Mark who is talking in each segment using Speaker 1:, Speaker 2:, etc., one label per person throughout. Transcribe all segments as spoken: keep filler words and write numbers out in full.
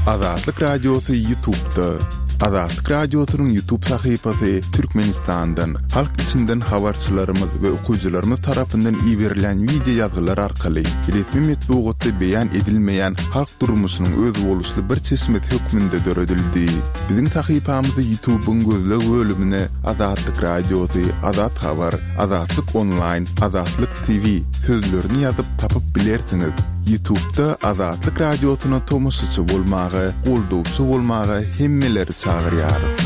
Speaker 1: Azatlyk Radiosy YouTube'da. Azatlyk Radiosynyň YouTube sahypasy Türkmenistandan, halk içinden habarçylarymyz we okyjylarymyz tarapyndan iberilen wideo ýazgylar arkaly resmi metbugatda beýan edilmeýän halk durmuşynyň özboluşly bir çeşmesi hökmünde döredildi. Biziň sahypamyzy YouTube'yň gözleg bölümine Azatlyk Radiosy, Azat Habar, Azatlyk Online, Azatlyk T V sözlerini ýazyp tapyp bilersiňiz. YouTube'da Azatlyk Radiosyna tomaşaçy bolmaga, goldawçy bolmaga hemmeleri çagyrýarys.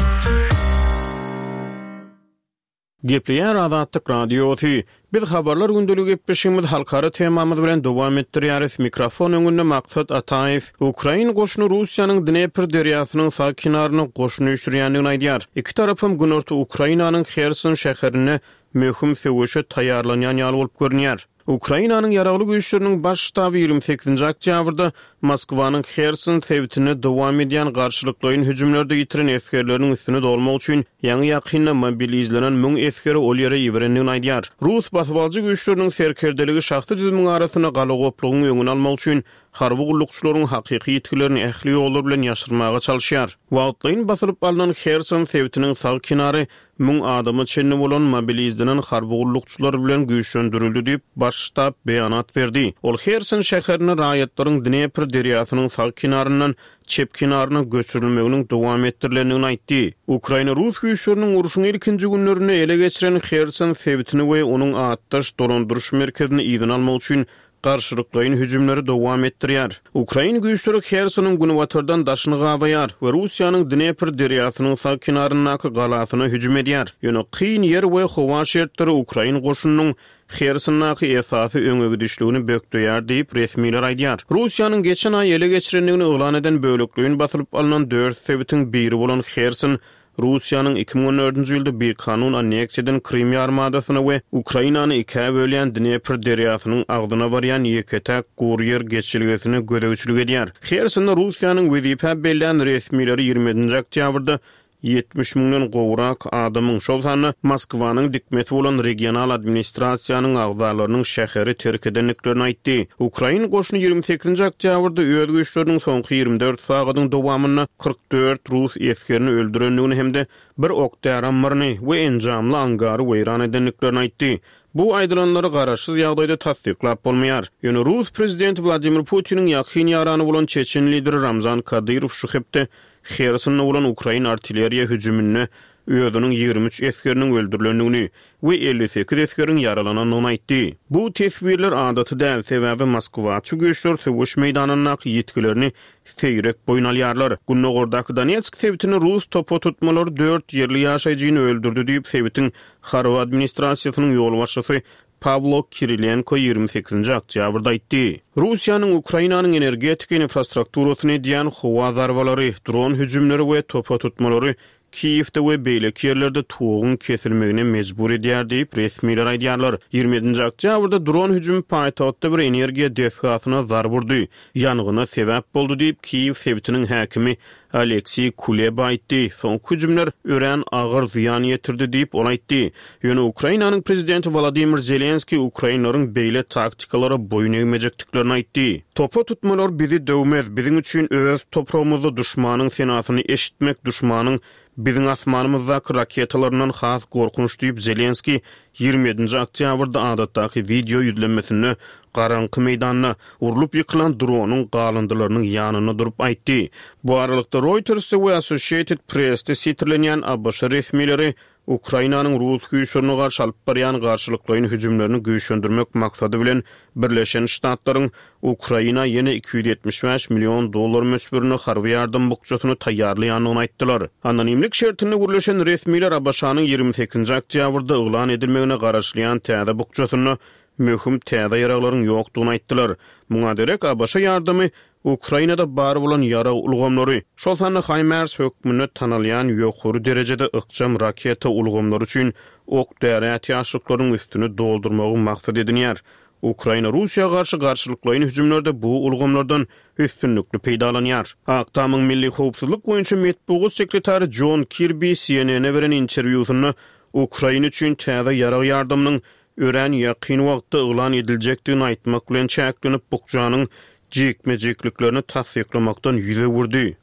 Speaker 2: Gepleýär Azatlyk Radiosy. Biz habarlar gündeligi gepleşigimiz halkara temamyz bilen dowam etdirýäris. Mikrofon öňünde Maksat Ataýew. Ukrain goşuny Russiýanyň Dnepr derýasynyň sag kenaryna goşun üýşürýändigini aýdýar. Iki tarapam günorta Ukrainanyň Herson şäherinde möhüm söweşe taýýarlanýan ýaly bolup görünýär. Ukrainanyň ýaragly güýçleriniň baş ştaby ýigrimi sekizinji oktýabrda Moskwanyň Herson sebitinde dowam edýän garşylyklaýyn hüjümlerde ýitiren esgerleriniň üstüni dolmak üçin ýaňy-ýakynda mobilizlenen müň esgeri ol ýere iberendigini aýdýar. Rus basybalyjy güýçleriniň serkerdeligi şahsy düzümiň arasynda galagoplugyň öňüni almak üçin harby gullukçylaryň hakyky ýitgilerini ähli ýollar bilen ýaşyrmaga çalyşýar. Wagtlaýyn basylyp alnan Herson sebitiniň sag kenary müň adama çenli bolan mobilizlenen harby gullukçylar bilen güýçlendirildi diýip, baş ştab beýanat berdi. Ol Herson şäherinde raýatlaryň Dnepr derýasynyň sag kenaryndan çep kenaryna göçürilmeginiň dowam etdirilendigini aýtdy. Ukraina rus güýçleriniň urşuň ilkinji günlerinde ele geçiren Herson sebitini we onuň atdaş dolandyryş merkezini yzyna almak üçin garşylyklaýyn hüjümleri dowam etdirýär. Ukrain güýçleri Hersonyň günbatardan daşyny gabaýar we Russiýanyň Dnepr derýasynyň sag kenaryndaky galasyna hüjüm edýär. Ýöne kyn ýer we howa şertleri ukrain goşunynyň Hersondaky esasy öňe gidişligini bökdeýär diýip resmiler aýdýar. Russiýanyň geçen aý ele geçirendigini yglan eden bölekleýin basylyp alnan dört sebitiň biri bolan Herson Russiýanyň iki müň on dördünji ýylda bikanun anneksiýa eden Krym ýarymadasyna we Ukrainany ikä bölýän Dnepr derýasynyň agzyna barýan ýeke-täk gury ýer geçelgesine gözegçilik edýär. Hersonda Russiýanyň wezipä bellän resmileri ýigrimi ýedinji oktýabrda ýetmiş müňden gowrak adamyň, şol sanda Moskwanyň dikmesi bolan regional administrasiýanyň agzalarynyň şäheri terk edendiklerini aýtdy. Ukrain goşuny ýigrimi sekizinji oktýabrda öz güýçleriniň soňky ýigrimi dört sagadyň dowamynda kyrk dört rus esgerini öldürendigini hem-de bir ok-däri ammaryny we enjamly angary weýran edendiklerini aýtdy. Bu aýdylanlary garaşsyz ýagdaýda tassyklap bolmaýar. Ýöne rus prezidenti Wladimir Putiniň ýakyn ýarany bolan çeçen lideri Ramzan Kadyrow şu hepde Hersonda bolan ukrain artilleriýa hüjüminde özüniň ýigrimi üç esgeriniň öldürilendigini we elli sekiz esgeriň ýaralanandygyny aýtdy. Bu teswirler adaty däl, sebäbi Moskwaçy güýçler söweş meýdanyndaky ýitgilerini seýrek boýun alýarlar. Gündogardaky Donetsk sebitinde rus topa tutmalary dört ýerli ýaşaýjyny öldürdi diýip, sebitiň harby administrasiýasynyň ýolbaşçysy Pawlo Kirilenko ýigrimi sekizinji oktýabrda aýtdy. Russiýanyň Ukrainanyň energetika infrastrukturasyny edýän howa zarbalary, dron hüjümleri we topa tutmalary Kiýewde we beýleki ýerlerde toguň kesilmegine mejbur edýär diýip resmiler aýdýarlar. Ýigrimi ýedinji oktýabrda dron hüjümi paýtagtda bir energiýa desgasyna zarba urdy. Ýangyna sebäp boldy diýip Kiýew sebitiniň häkimi Aleksiý Kuleba aýtdy. Soňky hüjümler örän agyr zyýan ýetirdi diýip ol aýtdy. Ýöne Ukrainanyň prezidenti Wladimir Zelenskiý ukrainlaryň beýle taktikalara boýun egmejekdiklerini aýtdy. Topa tutmalar bizi döwmez, biziň üçin öz topragymyzda duşmanyň senasyny eşitmek, duşmanyň biziň asmanymyzdaky raketalaryndan has gorkunç diýip Zelenskiý ýigrimi ýedinji oktýabrda adatdaky wideo ýüzlenmesinde garaňky meýdanda urlup ýykylan dronyň galyndylarynyň ýanynda durup aýtdy. Bu aralykda Reuters'te we Associated Press'te sitirlenýän A B Ş resmileri Ukrainanyň rus güýçlerine garşy alyp barýan garşylyklaýyn hüjümlerini güýçlendirmek maksady bilen Birleşen Ştatlaryň Ukraina ýene iki ýüz ýetmiş bäş million dollar möçberinde harby ýardam bukjasyny taýýarlaýandygyny aýtdylar. Anonimlik şertinde gürleşen resmiler A B Ş-nyň ýigrimi sekizinji oktýabrda yglan edilmegine garaşylýan täze bukjasynda möhüm täze ýaraglaryň ýokdugyny aýtdylar. Muňa derek A B Ş ýardamy Ukrainada bar bolan ýarag ulgamlary, şol sanda HIMARS hökmünde tanalýan ýokary derejede ykjam raketa ulgamlary üçin ok-däri ätiýaçlyklaryň üstüni doldurmagy maksat edinýär. Ukraina Russiýa garşy garşylyklaýyn hüjümlerde bu ulgamlardan üstünlikli peýdalanýar. Ak Tamyň Milli Howpsuzlyk boýunça metbugat sekretary John Kirby C N N-e beren interwýusynda Ukraina üçin täze ýarag ýardamynyň örän ýakyn wagtda yglan ediljekdigini aýtmak bilen çäklenip, bukjanyň Jikme-jikliklerini tassyklamakdan ýüz öwürdi.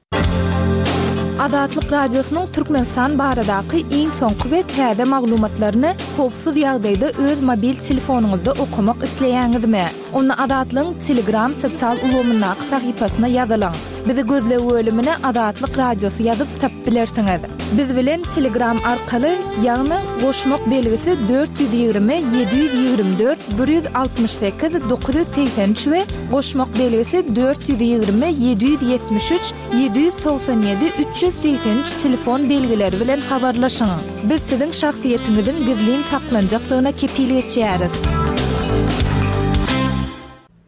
Speaker 3: Azatlyk Radiosynyň Türkmenistan baradaky iň soňky we täze maglumatlaryny howpsuz ýagdaýda öz mobil telefonyňyzda okamak isleýäňizmi? Onda Azatlygyň Telegram sosial ulgamyndaky sahypasyna ýazylyň. Bizi gözleg bölümine Azatlyk Radiosy ýazyp tapyp bilersiňiz. Biz bilen Telegram arkaly, ýagny goşmak belgisi dört ýüz ýigrimi ýedi ýüz ýigrimi dört bir ýüz altmyş sekiz dokuz ýüz segsen üç we goşmak belgisi dört ýüz ýigrimi ýedi ýüz ýetmiş üç ýedi ýüz togsan ýedi üç ýüz segsen üç telefon belgileri bilen habarlaşyň. Biz siziň şahsyýetiňiziň gizlin saklanjakdygyna kepil geçýäris.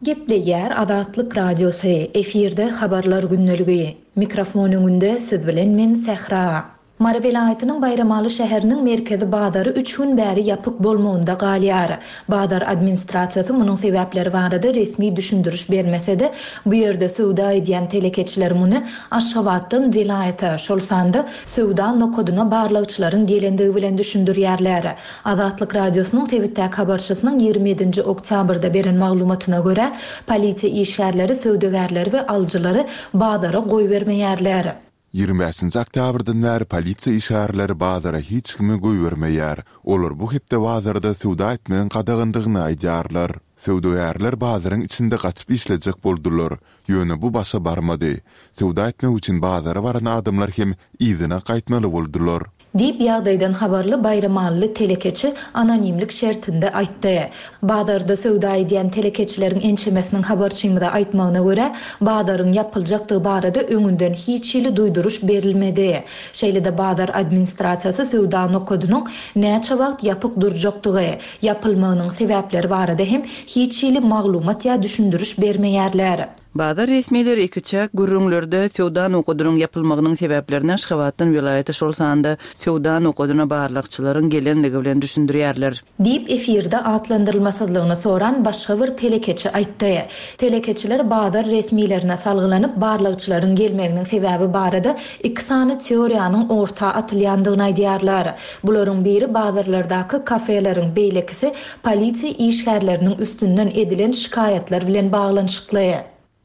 Speaker 4: Gepleýär Azatlyk Radiosy, efirde Habarlar gündeligi. Mikrofon öňünde siz bilen men Sähra. Mary welaýatynyň Baýramaly şäheriniň merkezi bazary üç gün bäri ýapyk bolmagynda galýar. Bazar administrasiýasy munuň sebäpleri barada resmi düşündiriş bermese-de, bu ýerde söwda edýän telekeçiler muny Aşgabatdan welaýata, şol sanda söwda nokadyna barlagçylaryň gelendigi bilen düşündirýärler. Azatlyk Radiosynyň sebitdäki habarçysynyň ýigrimi ýedinji oktýabrda beren maglumatyna görä, polisiýa işgärleri söwdagärleri we alyjylary bazara goýbermeýärler.
Speaker 1: Ýigrimi bäşinji oktýabrdan bäri polisiýa işgärleri bazara hiç kimi goýbermeýär. Olar bu hepde bazarda söwda etmegiň gadagandygyny aýdýarlar. Söwdagärler bazaryň içinde gaçyp işlejek boldular. Ýöne bu başa barmady. Söwda etmek üçin bazara baran adamlar hem yzyna gaýtmaly boldular.
Speaker 4: Diýip, ýagdaýdan habarly baýramalyly telekeçi anonimlik şertinde aýtdy. Bazarda söwda edýän telekeçileriň ençemesiniň habarçymyza aýtmagyna görä, bazaryň ýapyljakdygy barada öňünden hiç hili duýduryş berilmedi. Şeýle-de bazar administrasiýasy söwda nokadynyň näçe wagt ýapyk durjakdygy, ýapylmagynyň sebäpleri barada hem hiç hili maglumat ýa düşündiriş bermeýärler.
Speaker 5: Bazar resmileri ikiçäk gürrüňlerde söwda nokadynyň ýapylmagynyň sebäplerini Aşgabatdan welaýata, şol sanda söwda nokadyna barlagçylaryň gelenligi bilen düşündirýärler.
Speaker 4: Diýip, efirde atlandyrylmasyzlygyny soran başga bir telekeçi aýtdy. Telekeçiler bazar resmilerine salgylanyp, barlagçylaryň gelmeginiň sebäbi barada iki sany teoriýanyň orta atylýandygyny aýdýarlar. Bularyň biri bazarlardaky kafeleriň, beýlekisi polisiýa işgärleriniň üstünden edilen şikaýatlar bilen baglanyşykly.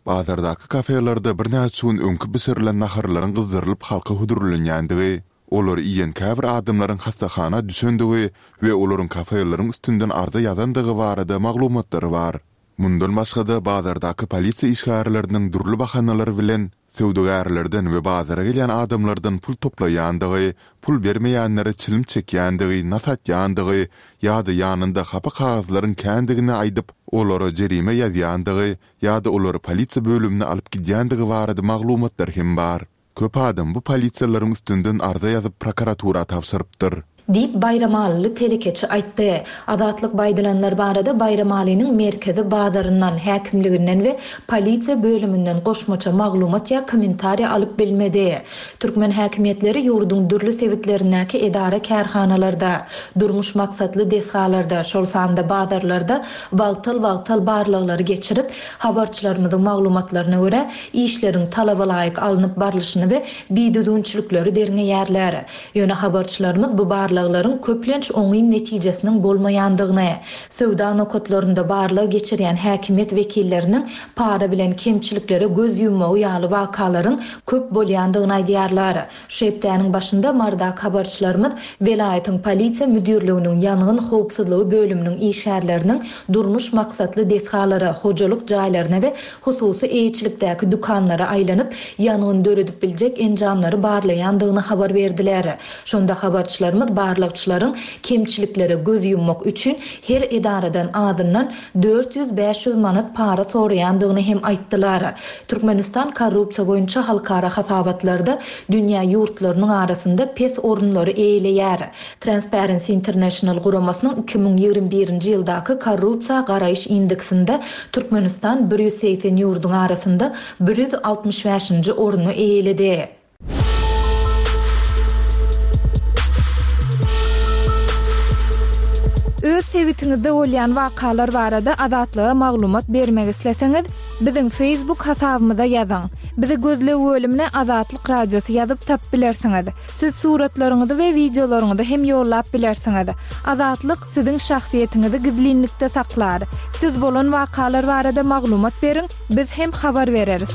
Speaker 1: Bazardaky kafelerde birnäçe gün öňki bişirilen naharlaryň gyzdyrylyp halka hödürlenýändigi, olary iýen käbir adamlaryň hassahana düşendigi we olaryň kafeleriň üstünden arza ýazandygy barada maglumatlar bar. Mundan başga-da bazardaky polisiýa işgärleriniň dürli bahanalar bilen söwdagärlerden we bazara gelýän adamlardan pul toplaýandygy, pul bermeýänlere çilim çekýändigi, nas atýandygy ýa-da ýanynda hapa kagyzlaryň kändigini aýdyp, olara jerime ýazýandygy ýa-da olary polisiýa bölümine alyp gidýändigi barada maglumatlar hem bar. Köp adam bu polisiýalaryň üstünden arza ýazyp prokuratura tabşyrypdyr.
Speaker 4: Diýip, baýramalyly telekeçi aýtdy. Azatlyk bu aýdylanlar barada Baýramalynyň merkezi bazaryndan, häkimliginden we polisiýa bölüminden goşmaça maglumat ýa kommentariýa alyp bilmedi. Türkmen häkimiýetleri ýurduň dürli sebitlerindäki edara-kärhanalarda, durmuş maksatly desgalarda, şol sanda bazarlarda wagtal-wagtal barlaglary geçirip, habarçylarymyzyň maglumatlaryna görä, işleriň talaba laýyk alnyp barlyşyny we bidüzgünçilikleri derňeýärler. Ýöne habarçylarymyz bu barlaglaryň köplenç oňyn netijesiniň bolmaýandygyny, söwda nokatlarynda barlag geçirýän häkimiýet wekilleriniň para bilen kemçiliklere göz ýummagy ýaly wakalaryň köp bolýandygyny aýdýarlar. Şu hepdäniň başynda Marydaky habarçylarymyz welaýatyň polisiýa müdirliginiň ýangyn howpsuzlygy bölüminiň işgärleriniň durmuş maksatly desgalara, hojalyk jaýlaryna we hususy eýeçilikdäki dükanlara aýlanyp, ýangyn döredip biljek enjamlary barlaýandygyny habar berdiler. Şonda habarçylarymyz barlagçylaryň kemçiliklere göz ýummak üçin her edaradan azyndan dört ýüz-bäş ýüz manat para soraýandygyny hem aýtdylar. Türkmenistan korrupsiýa boýunça halkara hasabatlarda dünýä ýurtlarynyň arasynda pes orunlary eýeleýär. Transparency International guramasynyň iki müň ýigrimi birinji ýyldaky korrupsiýa garaýyş indeksinde Türkmenistan bir ýüz segsen ýurduň arasynda bir ýüz altmyş bäşinji orny eýeledi.
Speaker 3: Öz sebitiňizde bolýan wakalar barada Azatlyga maglumat bermek isleseňiz, biziň Facebook hasabymyza ýazyň. Bizi gözleg bölümine Azatlyk Radiosy ýazyp tapyp bilersiňiz. Siz suratlaryňyzy we wideolaryňyzy hem ýollap bilersiňiz. Azatlyk siziň şahsyýetiňizi gizlinlikde saklar. Siz bolan wakalar barada maglumat beriň, biz hem habar bereris.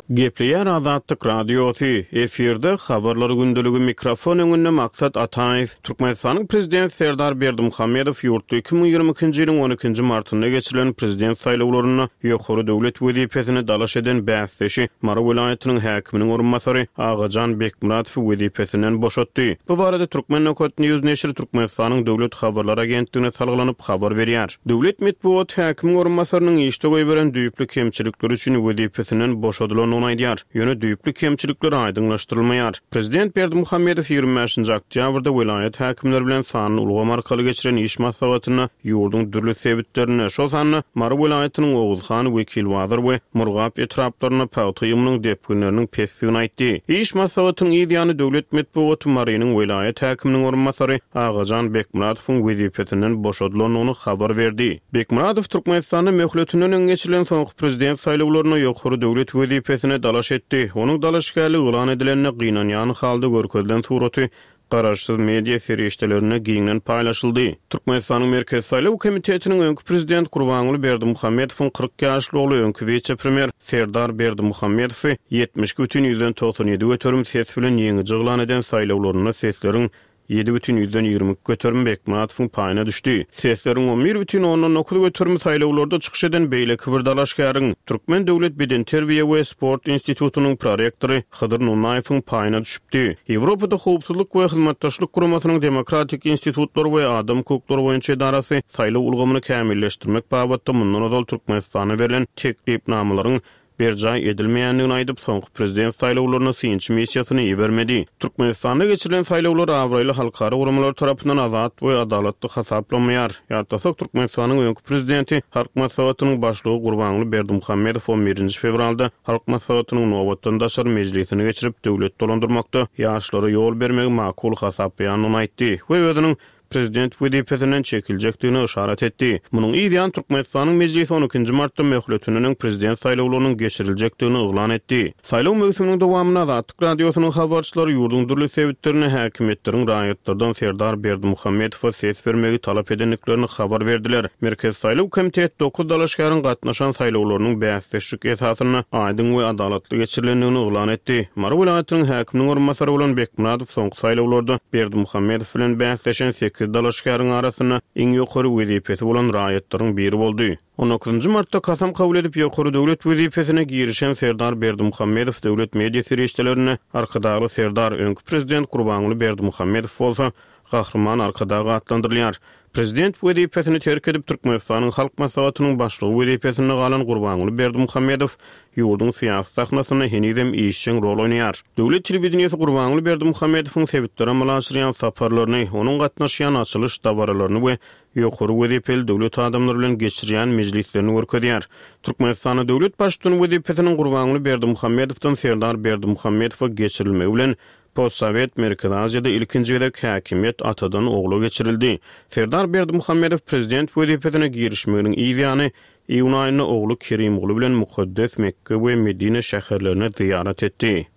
Speaker 2: Gepleýär Azatlyk Radiosy, efirde habarlar gündeligi mikrofon öňünde Maksat Ataýew. Türkmenistanyň Prezident Serdar Berdimuhamedow ýurtda iki müň ýigrimi ikinji ýylyň on ikinji martynda geçirilen prezident saýlawlarynda ýokary döwlet wezipesine dalaş eden bäsdeşi Mary welaýatynyň häkiminiň orunbasary Agajan Bekmuratowy wezipesinden boşatdy. Bu barada Türkmen Nokat News neşiri Türkmenistanyň Döwlet habarlar agentligine salgylanyp habar berýär. Döwlet metbugat häkimiň orunbasarynyň işde goýberen düýpli kemçilikleri üçin wezipesinden boşadylandygyny aýdýar. Ýöne düýpli kemçilikler aýdyňlaşdyrylmaýar. Prezident Berdimuhamedow ýigrimi bäşinji oktýabrda welaýat häkimleri bilen sanly ulgam arkaly geçiren iş maslahatynda ýurduň dürli sebitlerinde, şol sanda Mary welaýatynyň Oguzhan, Wekilbazar we Murgap etraplarynda pagta ýygymynyň depginleriniň pesdigini aýtdy. Iş maslahatynyň yz ýany döwlet metbugaty Marynyň welaýat häkiminiň orunbasary Agajan Bekmuratowyň wezipesinden boşadylandygyny habar berdi. Bekmuratow Türkmenistanda möhletinden öň geçirilen soňky prezident saýlawlarynda ýokary döwlet wezipesine dalaş etdi. Onuň dalaşgärligi yglan edilende gynanýan halda görkezilen suraty garaşsyz media serişdelerinde giňden paýlaşyldy. Türkmenistanyň Merkezi Saýlaw komitetiniň öňki prezident Gurbanguly Berdimuhamedowyň kyrk ýaşly ogly öňki wise-premýer Serdar Berdimuhamedowy ýetmiş iki bütin ýüzden togsan ýedi göterim ses bilen ýeňiji yglan eden saýlawlarynda sesleriň ýedi bütin ýüzden ýigrimi iki göterim Bekmuratowyň paýyna düşdi. Sesleriň on bir bütin ondan dokuz göterimi saýlawlarda çykyş eden beýleki bir dalaşgäriň Türkmen Döwlet Bedenterbiýe we Sport institutynyň prorektory Hydyr Nurnaýewiň paýyna düşüpdi. Ýewropada Howpsuzlyk we Hyzmatdaşlyk Guramasynyň Demokratik institutlary we adam hukuklary boýunça edarasy saýlaw ulgamyny kämilleşdirmek babatda mundan ozal Türkmenistana berlen teklipnamalaryň berjaý edilmeýändigini aýdyp, soňky prezident saýlawlaryna synçy missiýasyny ibermedi. Türkmenistanda geçirilen saýlawlar abraýly halkara guramalar tarapyndan azat we adalatly hasaplanmaýar. Ýatlasak, Türkmenistanyň öňki prezidenti Halk Maslahatynyň başlygy Gurbanguly Berdimuhamedow on birinji fewralda Halk Maslahatynyň nobatdan daşary mejlisini geçirip, döwlet dolandyrmakda ýaşlara ýol bermegi makul hasaplaýandygyny aýtdy we özüniň prezident wezipesinden çekiljekdigini yşarat etdi. Munuň yz ýany Türkmenistanyň mejlisi on ikinji martda möhletinden öň prezident saýlawlarynyň geçiriljekdigini yglan etdi. Saýlaw möwsüminiň dowamynda Azatlyk Radiosynyň habarçylary ýurduň dürli sebitlerinde häkimiýetleriň raýatlardan Serdar Berdimuhamedowa ses bermegi talap edendiklerini habar berdiler. Merkezi Saýlaw komiteti dokuz dalaşgäriň gatnaşan saýlawlarynyň bäsdeşlik esasynda aýdyň we adalatly geçirilendigini yglan etdi. Mary welaýatynyň häkiminiň orunbasary bolan Bekmuratow soňky saýlawlarda Berdimuhamedow bilen bäsleşen sekiz dalaşgäriň arasynda iň ýokary wezipesi bolan raýatlaryň biri boldy. On dokuzynjy martda kasam kabul edip ýokary döwlet wezipesine girişen Serdar Berdimuhamedow döwlet media serişdelerinde Arkadagly Serdar, öňki prezident Gurbanguly Berdimuhamedow bolsa Gahryman Arkadag atlandyrylýar. Prezident wezipesini terk edip Türkmenistanyň Halk Maslahatynyň başlygy wezipesinde galan Gurbanguly Berdimuhamedow ýurduň syýasy sahnasynda henizem işjeň rol oýnaýar. Döwlet telewideniýesi Gurbanguly Berdimuhamedowyň sebitlere amala aşyrýan saparlaryny, onuň gatnaşýan açylyş dabaralaryny we ýokary wezipeli döwlet adamlary bilen geçirýän mejlislerini görkezýär. Türkmenistanda döwlet baştutany wezipesiniň Gurbanguly Berdimuhamedowdan Serdar Berdimuhamedowa geçirilmegi bilen Postsowet Merkezi Aziýada ilkinji gezek häkimiýet atadan ogla geçirildi. Serdar Berdimuhamedow prezident wezipesine girişmeginiň yz ýany iýun aýynda ogly Kerimguly bilen Mukaddes Mekke we Medine şäherlerine zyýarat etdi.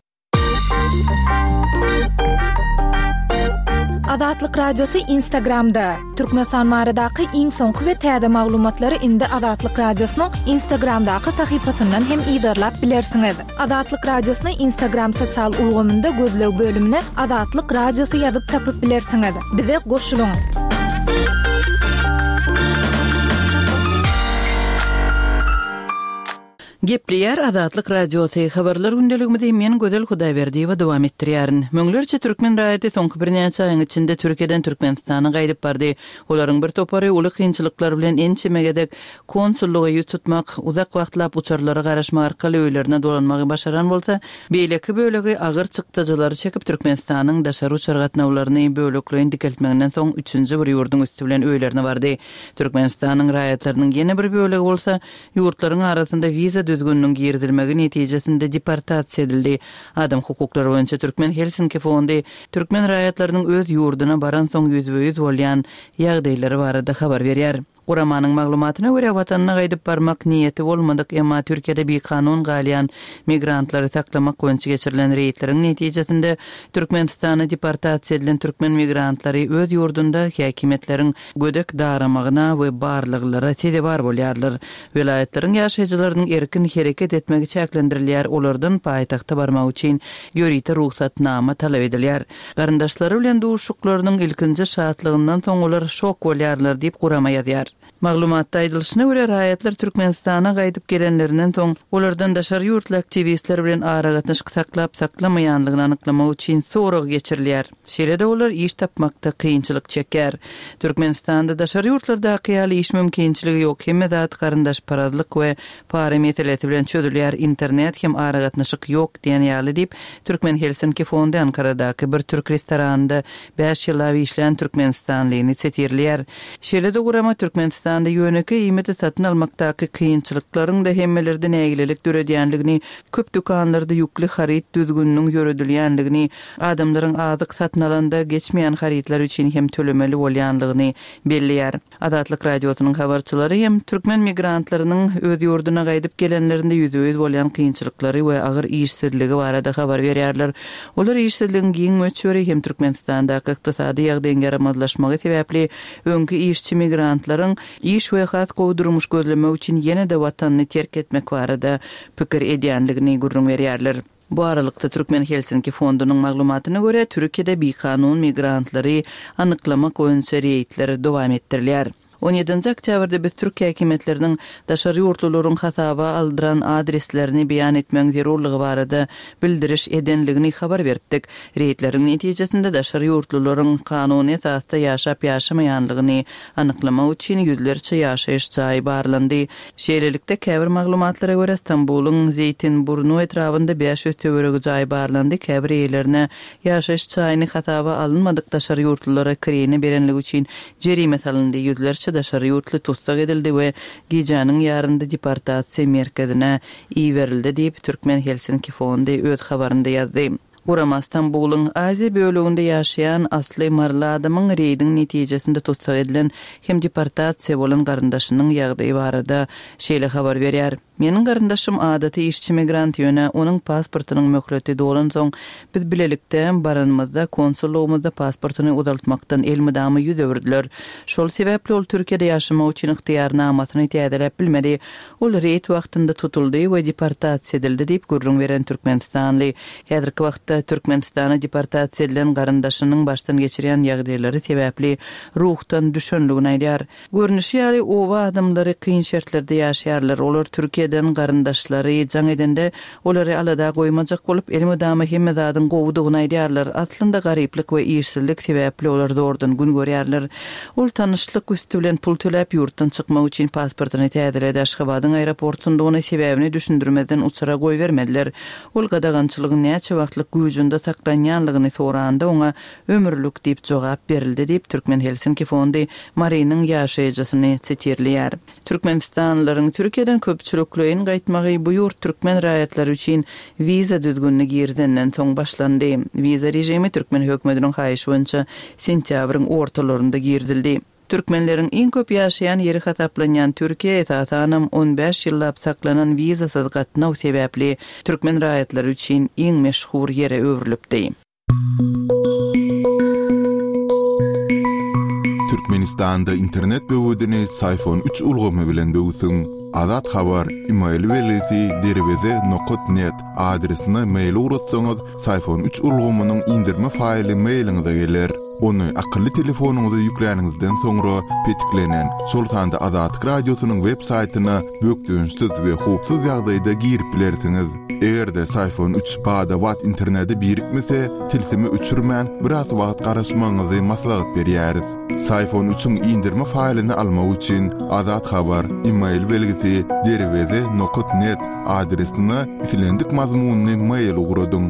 Speaker 3: Azatlyk Radiosy Instagramda. Türkmenistan baradaky iň soňky we täze maglumatlary indi Azatlyk Radiosynyň Instagramdaky sahypasyndan hem yzarlap bilersiňiz. Azatlyk Radiosyny Instagram sosial ulgamynda gözleg bölümine Azatlyk Radiosy ýazyp tapyp bilersiňiz. Bize goşulyň.
Speaker 5: Gepleýär Azatlyk Radiosy habarlar gündeligimizi men Gözel Hudaýberdiýewa dowam etdirýärin. Müňlerçe türkmen raýaty soňky birnäçe aýyň içinde Türkiýeden Türkmenistana gaýdyp bardy. Olaryň bir topary uly kynçylyklar bilen ençeme gezek konsullyga ýüz tutmak, uzak wagtlap uçarlara garaşmak arkaly öýlerine dolanmagy başaran bolsa, beýleki bölegi agyr çykdajylary çekip Türkmenistanyň daşary uçar gatnawlaryny bölekleýin dikeltmeginden soň üçünji bir ýurduň üsti bilen öýlerine bardy. Türkmenistanyň raýatlarynyň ýene bir bölegi bolsa, ýurtlaryň arasynda wiza düzgüniniň girizilmegi netijesinde deportasiýa edildi. Adam hukuklary boýunça Türkmen Helsinki fondy türkmen raýatlarynyň öz ýurduna baransoň ýüzbe-ýüz bolýan ýagdaýlary barada habar berýär. Guramanyň maglumatyna görä, watanyna gaýdyp barmak niýeti bolmadyk, emma Türkiýede bikanun galýan migrantlary saklamak boýunça geçirilen reýdleriň netijesinde Türkmenistana deportasiýa edilen türkmen migrantlary öz ýurdunda häkimiýetleriň gödek daramagyna we barlaglara sezewar bolýarlar. Welaýatlaryň ýaşaýjylarynyň erkin hereket etmegi çäklendirilýär, olardan paýtagta barmak üçin ýörite rugsatnama talap edilýär. Garyndaşlary bilen duşuşyklarynyň ilkinji şatlygyndan soň olar şok bolýarlar diýip, gurama ýazýar. Maglumatda aýdylyşyna görä, raýatlar Türkmenistana gaýdyp gelenlerinden soň, olardan daşary ýurtly aktiwistler bilen aragatnaşyk saklap-saklamaýanlygyny anyklamak üçin sorag geçirilýär. Şeýle-de olar iş tapmakda kynçylyk çekýär. Türkmenistanda daşary ýurtlardaky ýaly iş mümkinçiligi ýok, hemme zat garyndaşparazlyk we para meselesi bilen çözülýär, internet hem aragatnaşyk ýok diýen ýaly diýip, Türkmen Helsinki fondy Ankaradaky bir türk restoranynda bäş ýyllap işlän türkmenistanlyny sitirleýär. Şeýle-de gurama Türkmenistanda ýönekeý iýmiti satyn almakdaky kynçylyklaryň-da hemmelerde nägilelik döredýänligini, köp dükanlarda ýükli haryt düzgüniniň ýöredilýänligini, adamlaryň azyk satyn alanda geçmeýän harytlar üçin hem tölemeli bolýanlygyny belleýär. Azatlyk Radiosynyň habarçylary hem türkmen migrantlarynyň öz ýurduna gaýdyp gelenlerinde ýüzbe-ýüz bolýan kynçylyklary we agyr işsizligi barada habar berýärler. Olar işsizligiň giň möçberi hem Türkmenistandaky ykdysady ýagdaýyň ýaramazlaşmagy sebäpli öňki işçi migrantlaryň iş we has gowy durmuş gözlemek üçin ýene-de watanyny terk etmek barada pikir edýänligini gürrüň berýärler. Bu aralykda, Türkmen Helsinki fondunyň maglumatyna görä, Türkiýede bikanun migrantlary anyklamak boýunça reýdler dowam etdirilýär. On ýedinji oktýabrda biz türk häkimiýetleriniň daşary ýurtlularyň hasaba aldyran adreslerini beýan etmegiň zerurlygy barada bildiriş edenligini habar beripdik. Reýdleriň netijesinde daşary ýurtlularyň kanuny esasda ýaşap-ýaşamaýanlygyny anyklamak üçin ýüzlerçe ýaşaýyş jaýy barlandy. Şeýlelikde, käbir maglumatlara görä, Stambulyň Zeýtinburnu etrabynda bäş ýüz töweregi jaý barlandy, käbir eýelerine ýaşaýyş jaýyny hasaba alynmadyk daşary ýurtlulara kireýine berenligi üçin jerime salyndy, ýüzlerçe daşary ýurtly tussag edildi we gijäniň ýarynda deportasiýa merkezine iberildi diýip, Türkmen Helsinki fondy öz habarynda ýazdy. Gurama Stambulyň Aziýa böleginde ýaşaýan asly maryly adamyň reýdiň netijesinde tussag edilen hem deportasiýa bolan garyndaşynyň ýagdaýy barada şeýle habar berýär, Meniň garyndaşym adaty işçi migrant, ýöne onuň pasportynyň möhleti dolansoň, biz bilelikde baranymyzda konsullygymyzda pasportyny uzaltmakdan elmydama ýüz öwürdiler. Şol sebäpli ol Türkiýede ýaşamak üçin ygtyýarnamasyny täzeläp bilmedi. Ol reýd wagtynda tutuldy we deportasiýa edildi diýip gürrüň beren türkmenistanly, häzirki wagtda Türkmenistana deportasiýa edilen garyndaşynyň başdan geçirýän ýagdaýlary sebäpli ruhdan düşenligini aýdýar. Görnüşi ýaly, oba adamlary kyn şertlerde ýaşaýarlar. Olar Türkiýeden garyndaşlary jaň edende, olary alada goýmajak bolup, elmydama hemme zadyň gowudygyny aýdýarlar. Aslynda garyplyk we işsizlik sebäpli olar zordan gün görýärler. Ol tanyşlyk üsti bilen pul töläp, ýurtdan çykmak üçin pasportyny täzeledi. Aşgabadyň aeroportunda ony sebäbini düşündirmezden uçara goýbermediler. Ol gadagançylygyň näçe wagtlyk güýjünde saklanýanlygyny soranda, oňa ömürlik diýip jogap berildi diýip, Türkmen Helsinki fondy Marynyň ýaşaýjysyny sitirleýär. Türkmenistanlylaryň Türkiýeden köpçülikleýin gaýtmagy bu ýurt türkmen raýatlary üçin wiza düzgünini girizenden soň başlandy. Wiza režimi türkmen hökümetiniň haýyşy boýunça sentýabryň ortalarynda girizildi. Türkmenleriň iň köp ýaşaýan ýeri hasaplanýan Türkiýe esasanam on bäş ýyllap saklanan wizasyz gatnaw sebäpli türkmen raýatlary üçin iň meşhur ýere öwrülipdi.
Speaker 1: Türkmenistanda internet böwedini Syfon üç ulgamy bilen böwsüň. Azat Habar, email belgisi derweze nokat net adresine mail ugratsaňyz, Syfon üç ulgamynyň indirme faýly mailiňize geler. Ony akylly telefonyňyza ýükläniňizden soňra petiklenen, şol sanda Azatlyk Radiosynyň web saýtyna bökdençsiz we howpsuz ýagdaýda girip bilersiňiz. Eger-de Syfon üç bada-bat internete birikmese, tilsimi öçürmän, biraz wagt garaşmagyňyzy maslahat berýäris. Syfon üçiň indirme faýlyny almak üçin Azat Habar, email belgisi derweze nokat net adresine islendik mazmunly mail ugradyň.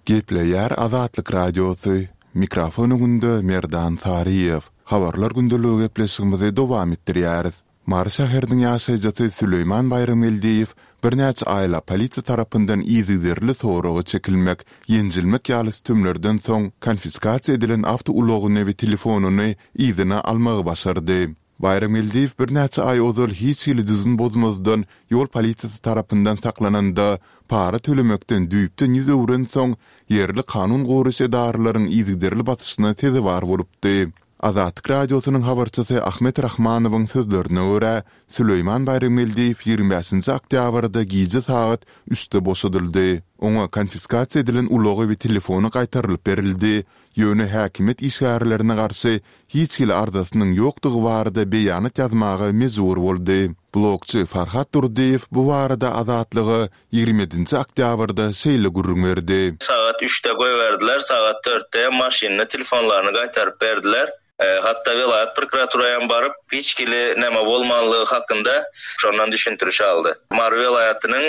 Speaker 1: Gepleýär Azatlyk Radiosy, mikrofon öňünde Merdan Saryýew. Habarlar gündeligi gepleşigimizi dowam etdirýäris. Mary şäheriniň ýaşaýjysy Süleýman Baýramgeldiýew birnäçe aýlap polisiýa tarapyndan yzygiderli soraga çekilmek, ýenjilmek ýaly sütemlerden soň konfiskasiýa edilen awtoulagyny we telefonyny yzyna almagy başardy. Baýramgeldiýew birnäçe aý ozal hiç hili düzgün bozmazdan ýol polisiýasy tarapyndan saklananda, para tölemekden düýpden ýüz öwrensoň, ýerli kanun goraýjy edaralaryň yzygiderli basyşyna sezewar bolupdy. Azatlyk Radiosynyň habarçysy Ahmet Rahmanowyň sözlerine görä, Süleýman Baýramgeldiýew ýigrimi bäşinji oktýabrda gije sagat üçde boşadyldy. Oňa konfiskasiýa edilen ulagy we telefony gaýtarylyp berildi, ýöne häkimiýet işgärlerine garşy hiç hili arzasynyň ýokdugy barada beýanat ýazmaga mejbur boldy. Blogçy Farhat Durdyýew bu barada Azatlyga ýigrimi ýedinji oktýabrda şeýle gürrüň berdi.
Speaker 6: Sagat üçde goýberdiler, sagat dörtde hem maşynyny, telefonlaryny gaýtaryp berdiler. Hatda welaýat prokuraturaýam baryp, hiç hili näme bolmanlygy hakynda şondan düşündiriş aldy. Mary welaýatynyň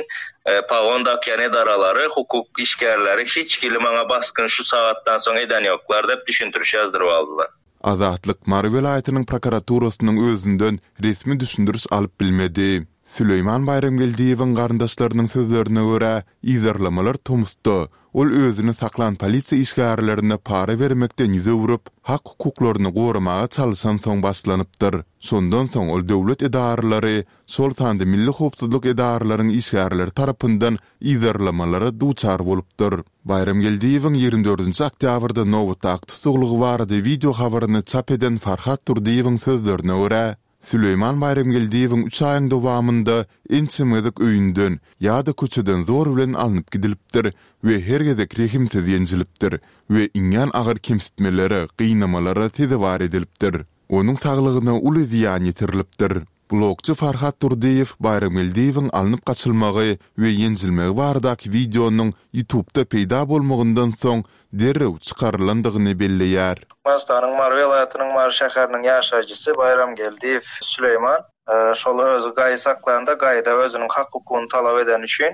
Speaker 6: pagon dakýan edaralary, hukuk işgärleri hiç hili maňa basgyn şu sagatdan soň eden ýoklar diýip düşündiriş ýazdyryp aldylar.
Speaker 1: Azatlyk Mary welaýatynyň prokuraturasynyň özünden resmi düşündiriş alyp bilmedi. Süleýman Baýramgeldiýewiň garyndaşlarynyň sözlerine görä, yzarlamalar tomusda, ol özüni saklan polisiýa işgärlerine para bermekden ýüz öwrüp, hak-hukuklaryny goramaga çalyşansoň başlanypdyr. Şondan soň ol döwlet edaralary, şol sanda milli howpsuzlyk edaralaryň işgärleri tarapyndan yzarlamalara duçar bolupdyr. Baýramgeldiýewiň ýigrimi dördünji oktýabrda nobatdaky tussaglygy barada wideo habaryny çap eden Farhat Durdyýewiň sözlerine görä, Süleýman Baýramgeldiýewiň üç aýyň dowamynda ençeme gezek öýünden ýa-da köçeden zor bilen alnyp gidilipdir we her gezek rehimsiz ýenjilipdir we iňňän agyr kemsitmelere, gynamalara sezewar edilipdir. Onuň saglygyna uly zyýan ýetirilipdir. Blogçy Farhat Durdyýew Baýramgeldiýewiň alnyp gaçylmagy we ýenjilmegi baradaky wideonyň YouTube'da peýda bolmagyndan soň derrew çykarylandygyny belleýär.
Speaker 6: Türkmenistanyň Mary welaýatynyň Mary şäheriniň ýaşaýjysy Baýramgeldiýew Süleýman şol özi gaýy saklanda gaýyda özüniň hak-hukugyny talap edeni üçin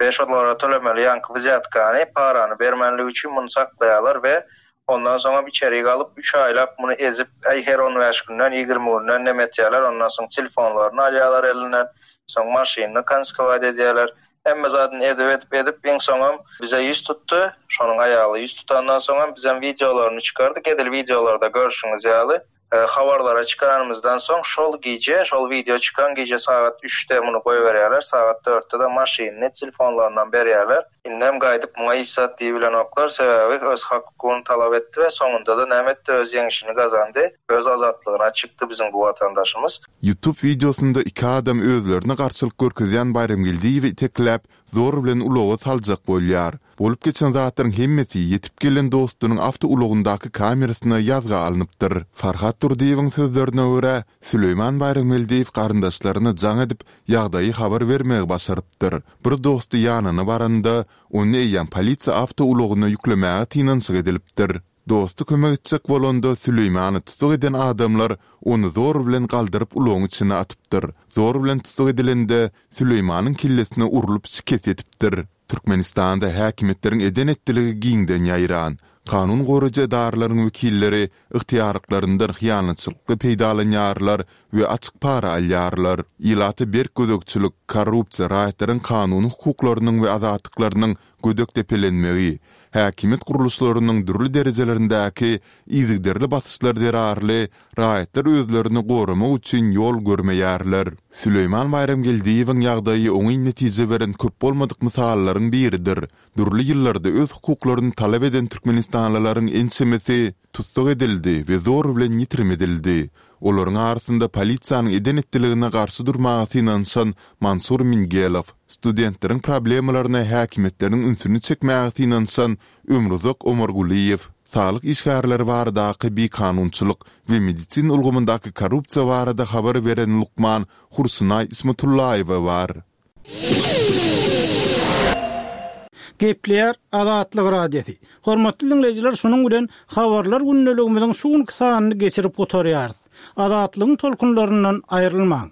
Speaker 6: we şolara tölemeli ýaňky wzýatkany, parany bermänligi üçin muny saklaýarlar we ondan soňam içerik alyp üç aýlap muny ezip, äý her on bäş günden, ýigrimi günden neme etýärler, ondan soň telefonlaryny alýarlar elinden, soň maşynyny konfiskowat edýärler. Hemme zadyny edip edip edip iň soňam bize ýüz tutdy. Şonuň aýaly ýüz tutandan soňam bizem wideolaryny çykardyk. Edil wideolarda görşüňiz ýaly, habarlara çykaranymyzdan soň şol gije, şol wideo çykan gije sagat üçde muny goýberýärler, sagat dörtde-de maşynyny telefonlaryndan berýärler. Indem gaýdyp muňa hiç zat diýibilenoklar, sebäbi öz hak-hukugyny talap etdi we soňunda-da näme etdi, öz ýeňişini gazandy, öz azatlygyna çykdy biziň bu watandaşymyz.
Speaker 1: YouTube wideosynda iki adam özlerine garşylyk görkezýän Baýramgeldiýewi itekläp, zor bilen ulaga saljak bolýar. Bolup geçen zatlaryň hemmesi ýetip gelen dostunyň awtoulagyndaky kamerasyna ýazga alnypdyr. Farhat Durdyýewiň sözlerine görä, Süleýman Baýramgeldiýew garyndaşlaryna jaň edip, ýagdaýy habar bermegi başarypdyr. Bir dosty ýanyna baranda, ony eýýäm polisiýa awtoulagyna ýüklemäge synanyşyk edilipdir. Dosty kömek etjek bolanda, Süleýmany tussag eden adamlar ony zor bilen galdyryp ulagyň içine atypdyr. Zor bilen tussag edilende, Süleýmanyň kellesine urlup şikes ýetipdir. Türkmenistanda häkimiýetleriň eden-etdiligi giňden ýaýran. Kanun goraýjy edaralaryň wekilleri ygtyýarlyklaryndan hyýanatçylykly peýdalanýarlar we açyk para alýarlar. Ilata berk gözegçilik, korrupsiýa, raýatlaryň kanuny hukuklarynyň we azatlyklarynyň gödek depelenmegi, häkimiýet gurluşlarynyň dürli derejelerindäki yzygiderli basyşlar zerarly raýatlar özlerini goramak üçin ýol görmeýärler. Süleýman Baýramgeldiýewiň ýagdaýy oňyn netije beren köp bolmadyk mysallaryň biridir. Dürli ýyllarda öz hukuklaryny talap eden türkmenistanlylaryň ençemesi tussag edildi we zor bilen ýitirim edildi. Olaryň arasynda polisiýanyň eden-etdiligine garşy durmaga synanyşan Mansur Mingelow, studentleriň problemalaryna häkimiýetleriň ünsüni çekmäge synanyşan Ömruzak Omargulyýew, saglyk işgärleri baradaky bikanunçylyk we medisina ulgamyndaky korrupsiýa barada habar beren lukman Hursunaý Ismatullaýewa bar.
Speaker 7: Gepleýär Azatlyk Radiosy. Hormatly diňleýjiler, şunuň bilen Habarlar gündeligimiziň şu günki sanyny geçirip gutarýarys. Azatlygyň tolkunlaryndan aýrylmaň!